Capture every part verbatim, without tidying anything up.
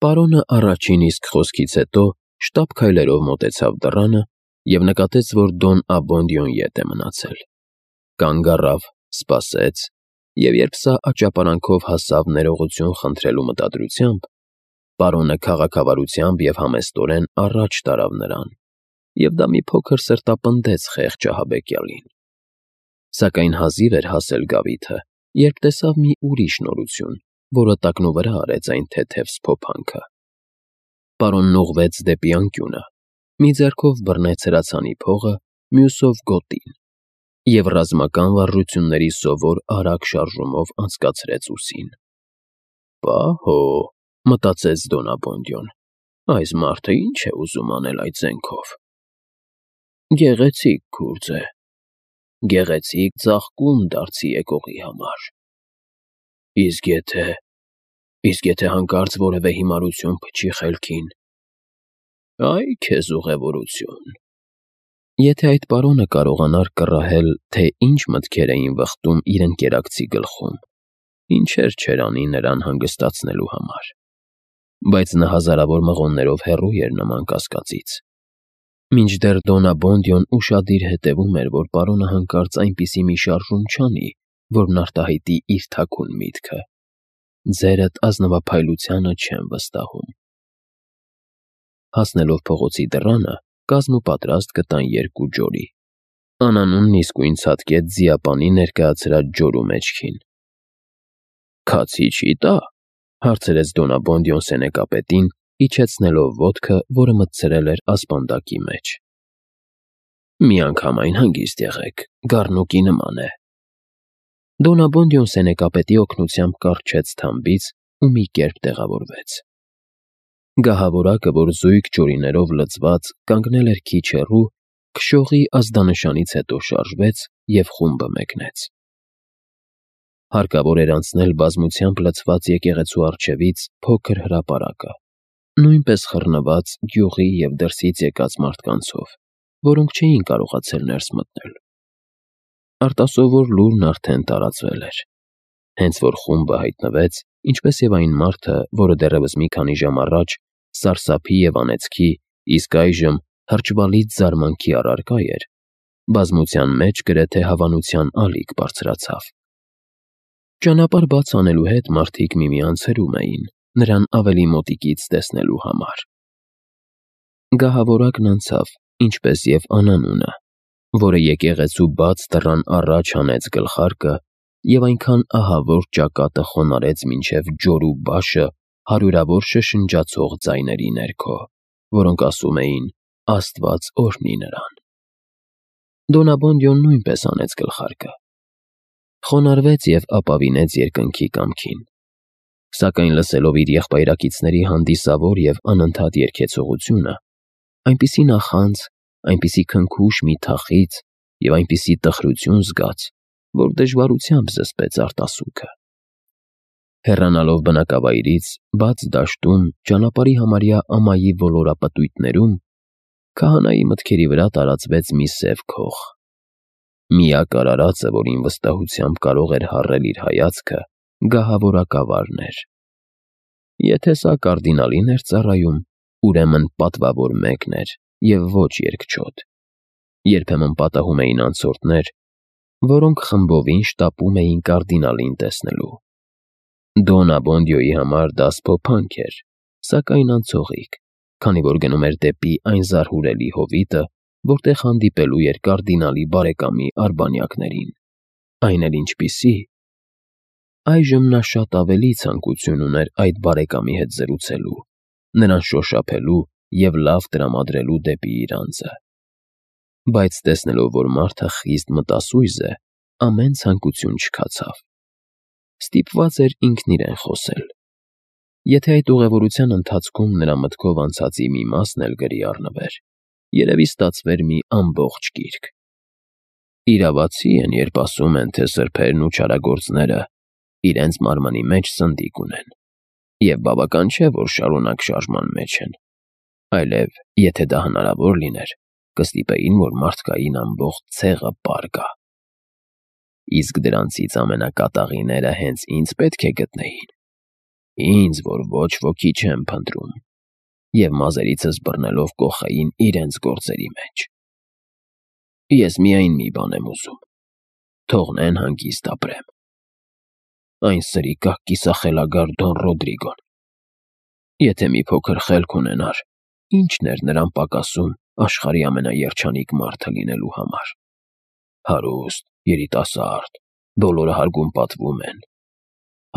Պարոնը առաջին իսկ խոսքից հետո շտապ քայլերով մոտեցավ դռանը և նկատեց, որ Դոն Աբոնդիոն ետ է մնացել։ Կանգ առավ, սպասեց, և երբ սա աճապարանքով հասավ ներողություն խնդրելու մտադրությամբ, պարոնը քաղաքավարությամբ և համեստորեն առաջ տարավ նրան, և դա մի փոքր սրտապնդեց խեղճ ահաբեկյալին։ Սակայն հազիվ էր հասել գավիթը, երբ տեսավ մի ուրիշ նորություն, որը տակնուվրա արեց այն թեթև սփոփանքը։ Պարոնն ուղղվեց դեպի անկյունը, մի ձեռքով բռնեց հրացանի փողը, մյուսով՝ գոտին, և ռազմական վարժությունների սովոր արագ շարժումով անցկացրեց ուսին։ «Պահո՜», մտածեց Դոն Աբոնդիոն, «այս մարդը ի՞նչ է ուզում անել այդ զենքով։ Գեղեցիկ գուրձ է, գեղեցիկ ծաղկում դարձի եկողի համար։ Իսկ եթե… իսկ եթե հանկարծ որևէ հիմարություն փչի խելքին… Այ քեզ ուղևորություն»։ Եթե այդ պարոնը կարողանար կռահել, թե ինչ մտքեր էին վխտում իր ընկերակցի գլխում, ինչեր չէր անի նրան հանգստացնելու համար։ Բայց նա հազարավոր մղոններով հեռու էր նման կասկածից։ Մինչդեռ Դոն Աբոնդիոն ուշադիր հետևում էր, որ պարոնը հանկարծ այնպիսի մի շարժում չանի, որն արտահայտի իր թաքուն միտքը։ «Ձերդ ազնվափայլությանը չեմ վստահում»։ Հասնելով փողոցի դռանը, կազմուպատրաստ գտան երկու ջորի։ Անանունն իսկույն ցատկեց ձիապանի ներկայացրած ջորու մեջքին։ «Քացի չի տա՞», հարցրեց Դոն Աբոնդիոն սենեկապետին, իջեցնելով ոտքը, որը մտցրել էր ասպանդակի մեջ։ «Միանգամայն հանգիստ եղեք, գառնուկի նման է»։ Դոն Աբոնդիոն սենեկապետի օգնությամբ կառչեց թամբից ու մի կերպ տեղավորվեց։ Գահավորակը, որ զույգ ջորիներով լցված կանգնել էր քիչ հեռու, քշողի ազդանշանից հետո շարժվեց և խումբը մեկնեց։ Հարկավոր էր անցնել բազմությամբ լցված եկեղեցու առջևից փոքր հրապարակը, նույնպես խռնված գյուղի և դրսից եկած մարդկանցով, որոնք չէին կարողացել ներս մտնել։ Արտասովոր լուրն արդեն տարածվել էր։ Հենց որ խումբը հայտնվեց, ինչպես և այն մարդը, որը դեռևս մի քանի ժամ առաջ սարսափի և անեծքի, իսկ այժմ հրճվալից զարմանքի առարկա էր, բազմության մեջ գրեթե հավանության ալիք բարձրացավ։ Ճանապարհ բաց անելու հետ մարդիկ միմյանց հրում էին, նրան ավելի մոտիկից տեսնելու համար։ Գահավորակն անցավ, ինչպես և անանունը, որը եկեղեցու բաց դռան առաջ հանեց գլխարկը և այնքան ահավոր ճակատը խոնարհեց մինչև ջորու բաշը հարյուրավոր շշնջացող ձայների ներքո, որոնք ասում էին. «Աստված օրհնի նրան»։ Դոն Աբոնդիոն նույնպես հանեց գլխարկը։ Խոնարհվեց և ապավինեց երկնքի կամքին։ Սակայն լսելով իր եղբայրակիցների հանդիսավոր և անընդհատ երգեցողությունը, այնպիսի նախանձ, այնպիսի քնքուշ մի թախիծ և այնպիսի տխրություն զգաց, որ դժվարությամբ զսպեց արտասուքը։ Հեռանալով բնակավայրից, բաց դաշտում, ճանապարհի համարյա ամայի ոլորապտույտներում, քահանայի մտքերի վրա տարածվեց մի սև քող։ Միակ արարածը, որին վստահությամբ կարող էր հառել իր հայացքը, գահավորակավարն էր։ Եթե սա կարդինալին էր ծառայում, ուրեմն պատվավոր մեկն էր և ոչ երկչոտ։ Երբեմն պատահում էին անցորդներ, որոնք խմբովին շտապում էին կարդինալին տեսնելու։ Դոն Աբոնդիոյի համար դա սփոփանք էր, սակայն անցողիկ, քանի որ գնում էր դեպի այն զարհուրելի հովիտը, որտեղ հանդիպելու էր կարդինալի բարեկամի արբանյակներին։ Այն էլ ինչպիսի… Այժմ նա շատ ավելի ցանկություն ուներ այդ բարեկամի հետ զրուցելու, նրան շոշափելու և լավ տրամադրելու դեպի իր անձը։ Բայց տեսնելով, որ մարդը խիստ մտասույզ է, ամեն ցանկություն չքացավ։ Ստիպված էր ինքն իրեն խոսել։ Եթե այդ ուղևորության ընթացքում նրա մտքով անցածի մի մասն էլ գրի առնվեր, երևի ստացվեր մի ամբողջ գիրք։ Իրավացի են, երբ ասում են, թե սրբերն ու չարագործները իրենց մարմնի մեջ սնդիկ ունեն, և բավական չէ, որ շարունակ շարժման մեջ են, այլև, եթե դա հնարավոր լիներ, կստիպեին, որ մարդկային ամբողջ ցեղը պար գա։ Իսկ դրանցից ամենակատաղիները հենց ինձ պետք է գտնեին։ Ինձ, որ ոչ ոքի չեմ փնտրում, և մազերիցս բռնելով կոխային իրենց գործերի մեջ։ Ես միայն մի բան եմ ուզում. թողնեն հանգիստ ապրեմ։ Այն սրիկա կիսախելագար Դոն Ռոդրիգոն, եթե մի փոքր խելք ունենար, ինչն էր նրան պակասում աշխարհի ամենաերջանիկ մարդը լինելու համար։ Հարուստ, երիտասարդ, բոլորը հարգում պատվում են։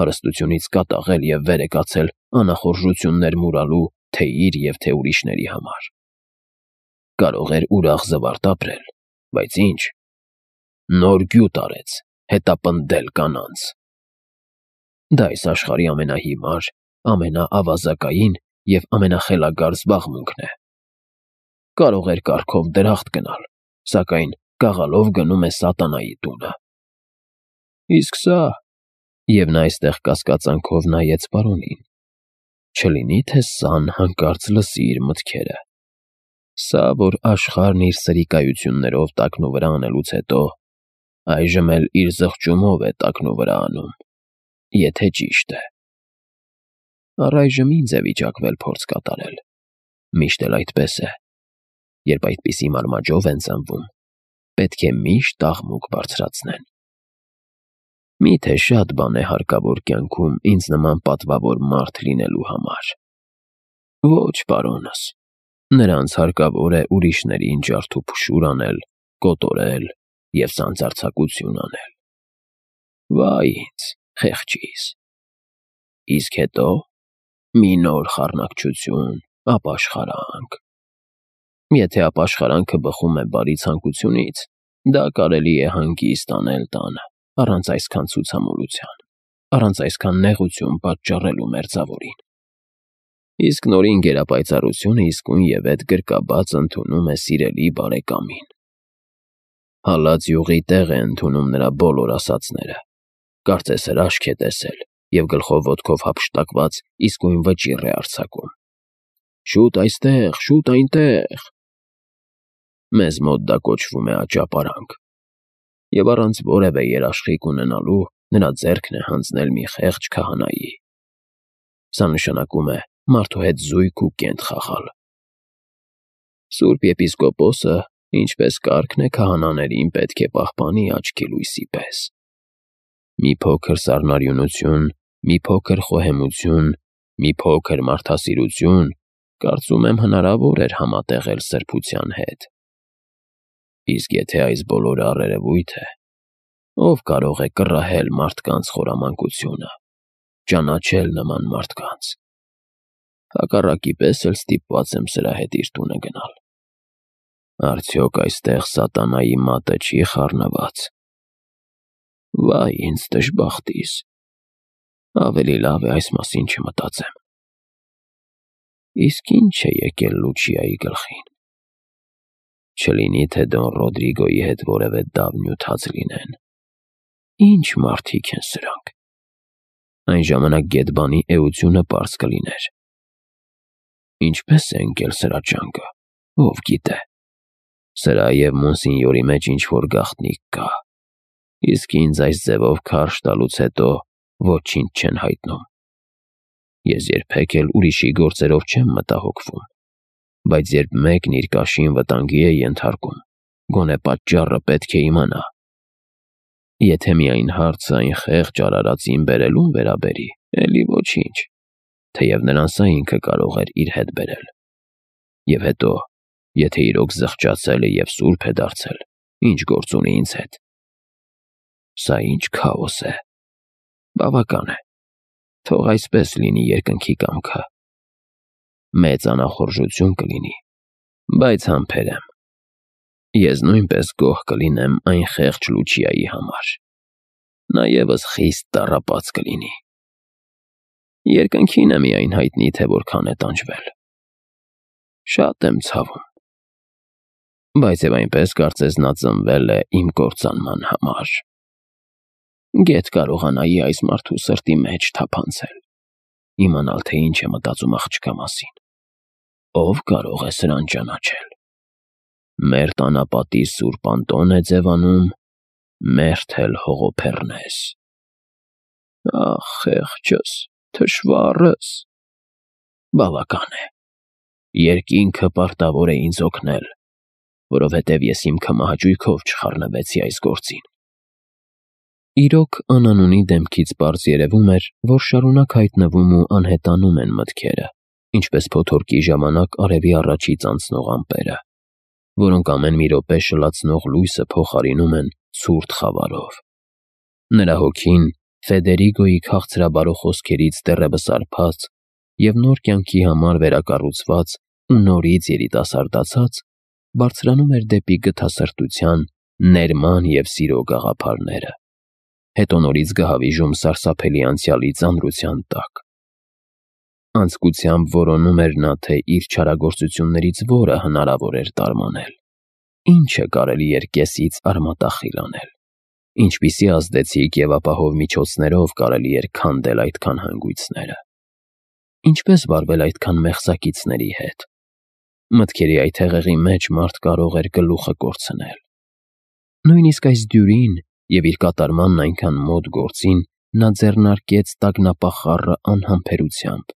Հարստությունից կատաղել և վեր է կացել անախորժություններ մուրալու թե իր և թե ուրիշների համար։ Կարող էր ուրախ զվարթ ապրել, բայց ինչ, նոր գյուտ արեց հետապնդել կանանց։ Դա այս աշխարհի ամենահիմար, ամենաավազակային և ամենախելագար զբաղմունքն է։ Կարող էր կառքով դրախտ գնալ, սակայն գաղալով գնում է սատանայի տունը։ Իսկ սա… Եվ նա այստեղ կասկածանքով նայեց պարոնին. չլինի թե սան հանկարծ լսի իր մտքերը։ Սա, որ աշխարհն իր սրիկայություններով տակնուվրա անելուց հետո, այժմ էլ իր զղջումով է տակնուվրա անում, եթե ճիշտ է։ Առայժմ ինձ է վիճակվել փորձ կատարել, միշտ էլ այդպես է։ Երբ այդպիսի մարմաճով են ծնվում, պետք է միշտ աղմուկ բարձրացնեն։ Մի՞թե շատ բան է հարկավոր կյանքում ինձ նման պատվավոր մարդ լինելու համար։ Ոչ, պարոնս, նրանց հարկավոր է ուրիշներին ջարդ ու փշուր անել, կոտորել և սանձարձակություն անել։ Վայ ինձ, խեղճիս։ Իսկ հետո… մի նոր խառնակչություն, ապաշխարանք։ Եթե ապաշխարանքը բխում է բարի ցանկությունից, դա կարելի է հանգիստ անել տանը, առանց այսքան ցուցամոլության, առանց այսքան նեղություն պատճառելու մերձավորին։ Իսկ նորին գերապայծառությունը իսկույնևեթ գրկաբաց ընդունում է սիրելի բարեկամին։ Հալած յուղի տեղ է ընդունում նրա բոլոր ասածները, կարծես հրաշք է տեսել և գլխով ոտքով հափշտակված իսկույն վճիռ է արձակում. «Շուտ այստեղ, շուտ այնտեղ»։ Մեզ մոտ դա կոչվում է աճապարանք, և առանց որևէ երաշխիք ունենալու նրա ձեռքն է հանձնել մի խեղճ քահանայի։ Սա նշանակում է մարդու հետ զույգ ու կենթ խաղալ։ Սուրբ եպիսկոպոսը, ինչպես կարգն է, քահանաներին պետք է պահպանի աչքի լույսի պես։ Մի փոքր սառնարյունություն, մի փոքր խոհեմություն, մի փոքր մարդասիրություն, կարծում եմ, հնարավոր էր համատեղել սրբության հետ։ Իսկ եթե այս բոլորը առերևույթ է, ով կարող է կռահել մարդկանց խորամանկությունը, ճանաչել նման մարդկանց։ Հակառակի պես էլ ստիպված եմ սրա հետ իր տունը գնալ։ Արդյոք այստեղ սատանայի մատը չի խառնված։ Վայ ինձ դժբախտիս, ավելի լավ է այս մասին չմտածեմ։ Իսկ ի՞նչ է եկել Լուչիայի գլխին։ Չլինի թե Դոն Ռոդրիգոյի հետ որևէ դավ-նյութած լինեն։ Ի՞նչ մարդիկ են սրանք։ Այն ժամանակ գեդբանի էությունը պարզ կլիներ։ Ինչպե՞ս է ընկել սրա ճանկը, ով գիտե։ Սրա և Մոնսինյորի մեջ ինչ-որ գաղտնիք կա, իսկ ինձ այս ձևով քարշ տալուց հետո ոչինչ չեն հայտնում։ Ես երբեք էլ ուրիշի գործերով չեմ մտահոգվում, բայց երբ մեկն իր կաշին վտանգի է ենթարկում, գոնե պատճառը պետք է իմանա։ Եթե միայն հարցը այն խեղճ արարածին բերելուն վերաբերի, էլի ոչինչ, թեև նրան սա ինքը կարող էր իր հետ բերել։ Եվ հետո, եթե իրոք զղջացել է և սուրբ է դարձել, ինչ գործ ունի ինձ հետ։ Սա ինչ քաոս է։ Բավական է, թող այսպես լինի երկնքի կամքը։ Մեծ անախորժություն կլինի, բայց համբերեմ։ Ես նույնպես գոհ կլինեմ այն խեղճ Լուչիայի համար։ Նա ևս խիստ տառապած կլինի։ Երկնքին է միայն հայտնի, թե որքան է տանջվել։ Շատ եմ ցավում։ Բայց և այնպես կարծես նա ծնվել է իմ կործանման համար։ Գեթ կարողանայի այս մարդու սրտի մեջ թափանցել, իմանալ, թե ինչ է մտածում աղջկա մասին։ Ով կարող է սրան ճանաչել։ Մեր տանապատի սուրբ Անտոն է ձևանում, մերթ էլ Հողոփեռնես։ Ախ, խեղճս։ Թշվառս։ Բավական է։ Երկինքը պարտավոր է ինձ օգնել, որովհետև ես իմ քմահաճույքով չխառնվեցի այս գործին։ Իրոք Անանունի դեմքից պարզ երևում էր, որ շարունակ հայտնվում ու անհետանում են մտքերը, ինչպես փոթորկի ժամանակ արևի առաջից անցնող ամպերը, որոնք ամեն մի րոպե շլացնող լույսը փոխարինում են ցուրտ խավարով։ Նրա հոգին Ֆեդերիգոյի քաղցրաբարո խոսքերից դեռևս արբած և նոր կյանքի համար վերակառուցված ու նորից երիտասարդացած, բարձրանում էր դեպի գթասրտության, ներման և սիրո գաղափարները, հետո նորից գահավիժում սարսափելի անցյալի ծանրության տակ։ Անձկությամբ որոնում էր նա, թե իր չարագործություններից որը հնարավոր էր տարմանել, ինչը կարելի էր կեսից արմատախիլ անել, ինչպիսի ազդեցիկ և ապահով միջոցներով կարելի էր քանդել այդքան հանգույցները, ինչպես վարվել այդքան մեղսակիցների հետ։ Մտքերի այդ հեղեղի մեջ մարդ կարող էր գլուխը կորցնել։ Նույնիսկ այս դյուրին և իր կատարմանն այնքան մոտ գործին նա ձեռնարկեց տագնապահ խառը անհամբերությամբ։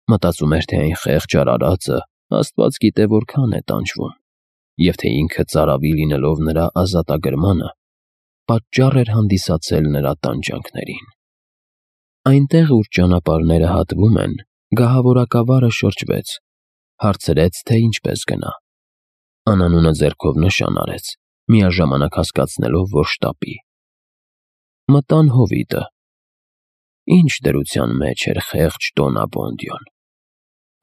Մտածում էր, թե այն խեղճ արարածը աստված գիտե որքան է տանջվում, և թե ինքը ծարավի լինելով նրա ազատագրմանը, պատճառ էր հանդիսացել նրա տանջանքներին։ Այնտեղ, ուր ճանապարհները հատվում են, գահավորակավարը շրջվեց, հարցրեց, թե ինչպես գնա։ Անանունը ձեռքով նշան արեց, միաժամանակ հասկացնելով, որ շտապի։ Մտան հովիտը։ Ինչ դրության մեջ էր խեղճ Դոնաբոնդյոն։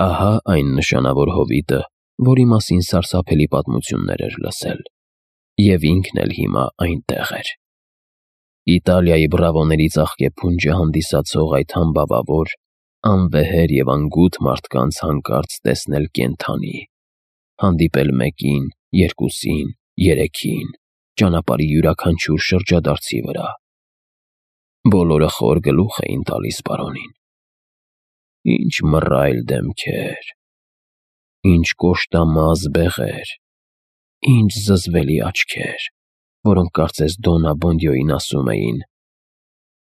Ահա այն նշանավոր հովիտը, որի մասին սարսափելի պատմություններ էր լսել, և ինքն էլ հիմա այնտեղ էր։ Իտալիայի բրավոների ծաղկեփունջը հանդիսացող այդ համբավավոր, անվեհեր և անգութ մարդկանց հանկարծ տեսնել կենդանի, հանդիպել մեկին, երկուսին, երեքին, ճանապարհի յուրաքանչյուր շրջադարձի վրա։ Բոլորը խոր գլուխ էին տալիս պարոնին։ Ինչ մռայլ դեմքեր, ինչ կոշտամազ բեղեր, ինչ զզվելի աչքեր, որոնք կարծես Դոնաբոնդյոին ասում էին.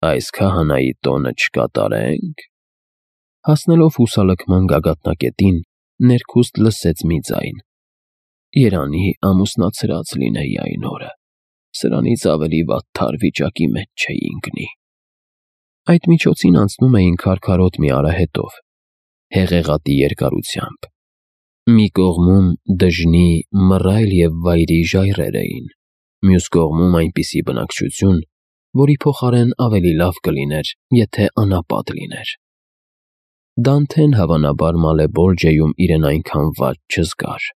«Այս քահանայի տոնը չկատարե՞նք»։ Հասնելով հուսալքման գագաթնակետին, ներքուստ լսեց մի ձայն. «Երանի ամուսնացրած լինեի այն օրը, սրանից ավելի վատթար վիճակի մեջ չէի ընկնի»։ Այդ միջոցին անցնում էին քարքարոտ մի արահետով, հեղեղատի երկարությամբ։ Մի կողմում դժնի, մռայլ և վայրի ժայռեր էին, մյուս կողմում այնպիսի բնակչություն, որի փոխարեն ավելի լավ կլիներ, եթե անապատ լիներ։ Դանթեն հավանաբար Մալեբոլջեում իրեն այնքան վատ չզգար։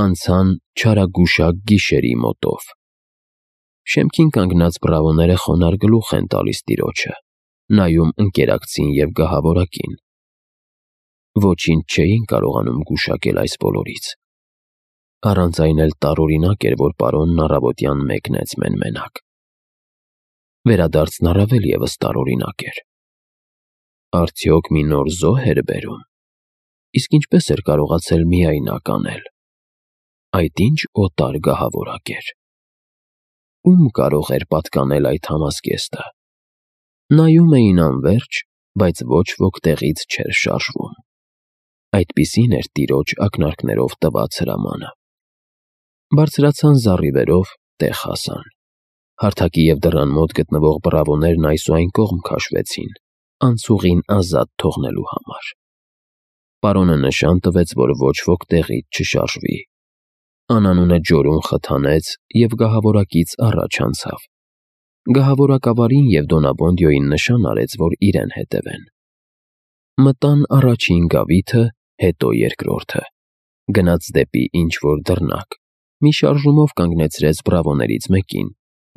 Անցան չարագուշակ գիշերի մոտով։ Շեմքին կանգնած բրավոները խոնարհ գլուխ են տալիս տիրոջը, նայում ընկերակցին և գահավորակին։ Ոչինչ չէին կարողանում գուշակել այս բոլորից։ Առանց այն էլ տարօրինակ էր, որ պարոնն առավոտյան մեկնեց մեն֊մենակ։ Վերադարձն առավել ևս տարօրինակ էր։ Արդյոք մի նոր զոհ էր բերում։ Իսկ ինչպես էր կարողացել միայնակ անել։ Այդ ինչ օտար գահավորակ էր։ Ում կարող էր պատկանել այդ համազգեստը։ Նայում էին անվերջ, բայց ոչ ոք տեղից չէր շարժվում։ Այդպիսին էր տիրոջ ակնարկներով տված հրամանը։ Բարձրացան զառիվերով, տեղ հասան։ Հարթակի և դռան մոտ գտնվող բրավոներն այս ու այն կողմ քաշվեցին, անցուղին ազատ թողնելու համար։ Պարոնը նշան տվեց, որ ոչ ոք տեղից չշարժվի։ Անանունը ջորուն խթանեց և գահավորակից առաջ անցավ։ Գահավորակավարին և Դոնաբոնդյոյին նշան արեց, որ իրեն հետևեն։ Մտան առաջին գավիթը, հետո երկրորդը։ Գնաց դեպի ինչ-որ դռնակ, մի շարժումով կանգնեցրեց բրավոներից մեկին,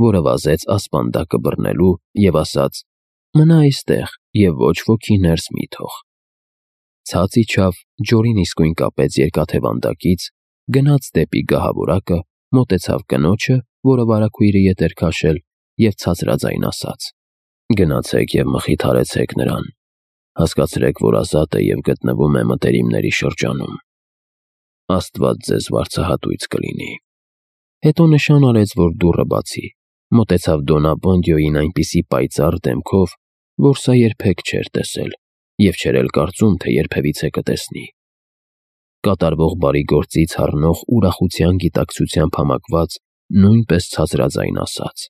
որը վազեց ասպանդակը բռնելու և ասաց. «Մնա այստեղ և ոչ ոքի ներս մի թող»։ Ցած իջավ, ջորին իսկույն կապեց երկաթե վանդակից, գնաց դեպի գահավորակը, մոտեցավ կնոջը, որը վարագույրը ետ էր քաշել, և ցածրաձայն ասաց. «Գնացեք և մխիթարեցեք նրան, հասկացրեք, որ ազատ է և գտնվում է մտերիմների շրջանում։ Աստված ձեզ վարձահատույց կլինի»։ Հետո նշան արեց, որ դուռը բացի, մոտեցավ Դոնաբոնդյոյին այնպիսի պայծառ դեմքով, որ սա երբեք չէր տեսել և չէր էլ կարծում, թե երբևիցե կտեսնի։ Կատարվող բարի գործից հառնող ուրախության գիտակցությամբ համակված նույնպես ցածրաձայն ասաց.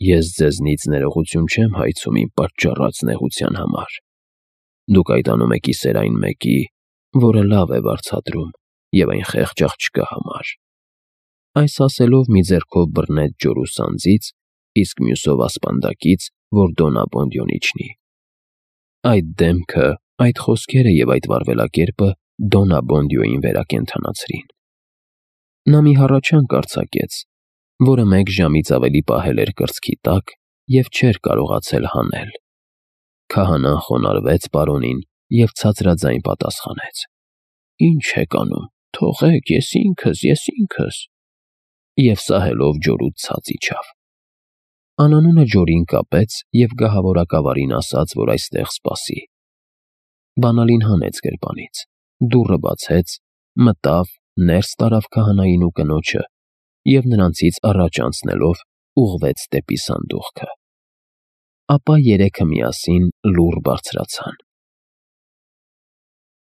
«Ես ձեզնից ներողություն չեմ հայցում իմ պատճառած նեղության համար։ Դուք այդ անում եք ի սեր այն մեկի, որը լավ է վարձատրում, և այն խեղճ աղջկա համար»։ Այս ասելով մի ձեռքով բռնեց ջորու սանձից, իսկ մյուսով ասպանդակից, որ Դոն Աբոնդիոն իջնի։ Այդ դեմքը, այդ խոսքերը և այդ վարվելակերպը Դոն Աբոնդիոյին վերակենդանացրին։ Նա մի հառաչանք արձակեց, որը մեկ ժամից ավելի պահել էր կրծքի տակ և չէր կարողացել հանել։ Քահանան խոնարհվեց պարոնին և ցածրաձայն պատասխանեց. «Ի՞նչ եք անում, թողեք, ես ինքս, ես ինքս»։ Եվ սահելով ջորուց ցած իջավ։ Անանունը ջորին կապեց և գահավորակավարին ասաց, որ այստեղ սպասի։ Բանալին հանեց գրպանից, դուռը բացեց, մտավ, ներս տարավ քահանային ու կնոջը և նրանցից առաջ անցնելով ուղղվեց դեպի սանդուղքը։ Ապա երեքը միասին լուռ բարձրացան։